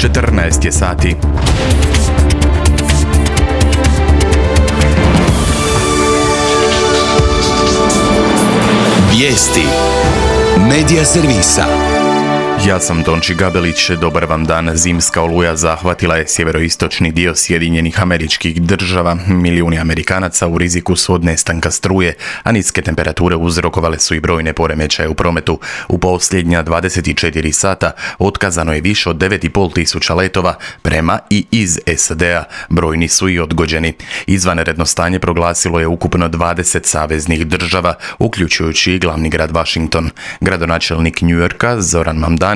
14 je sati. Vijesti Medija servisa. Ja sam Tonči Gabelić, dobar vam dan. Zimska oluja zahvatila je sjeveroistočni dio Sjedinjenih Američkih Država. Milijuni Amerikanaca u riziku su od nestanka struje, a niske temperature uzrokovale su i brojne poremećaje u prometu. U posljednja 24 sata otkazano je više od 9,5 tisuća letova prema i iz SAD-a. Brojni su i odgođeni. Izvanredno stanje proglasilo je ukupno 20 saveznih država, uključujući i glavni grad Washington. Gradonačelnik Njujorka Zoran Mamdani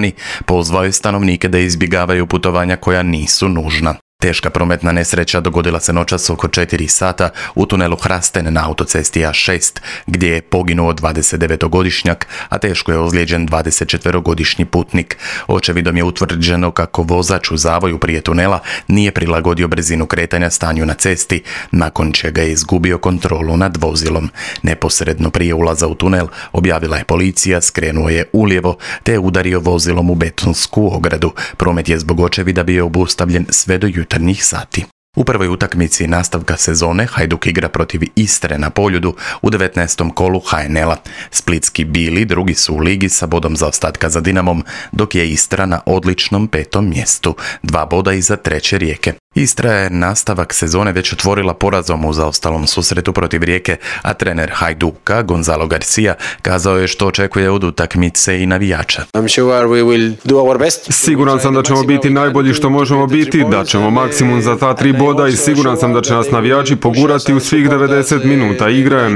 pozvao je stanovnike da izbjegavaju putovanja koja nisu nužna. Teška prometna nesreća dogodila se noćas oko 4 sata u tunelu Hrasten na autocesti A6, gdje je poginuo 29-godišnjak, a teško je ozlijeđen 24-godišnji putnik. Očevidom je utvrđeno kako vozač u zavoju prije tunela nije prilagodio brzinu kretanja stanju na cesti, nakon čega je izgubio kontrolu nad vozilom. Neposredno prije ulaza u tunel, objavila je policija, skrenuo je ulijevo te je udario vozilom u betonsku ogradu. Promet je zbog očevida bio obustavljen sve do jutarnjih sati. U prvoj utakmici nastavka sezone Hajduk igra protiv Istre na Poljudu u 19. kolu HNL-a. Splitski Bili drugi su u ligi sa bodom zaostatka za Dinamom, dok je Istra na odličnom 5. mjestu, 2 boda iza treće Rijeke. Istra je nastavak sezone već otvorila porazom u zaostalom susretu protiv Rijeke, a trener Hajduka Gonzalo Garcia kazao je što očekuje od utakmice i navijača. Siguran sam da ćemo biti najbolji što možemo biti, da ćemo maksimum za ta 3 boda i siguran sam da će nas navijači pogurati u svih 90 minuta igre.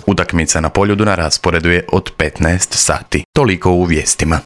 Utakmica na Poljudu na rasporedu je od 15 sati. Toliko u vijestima.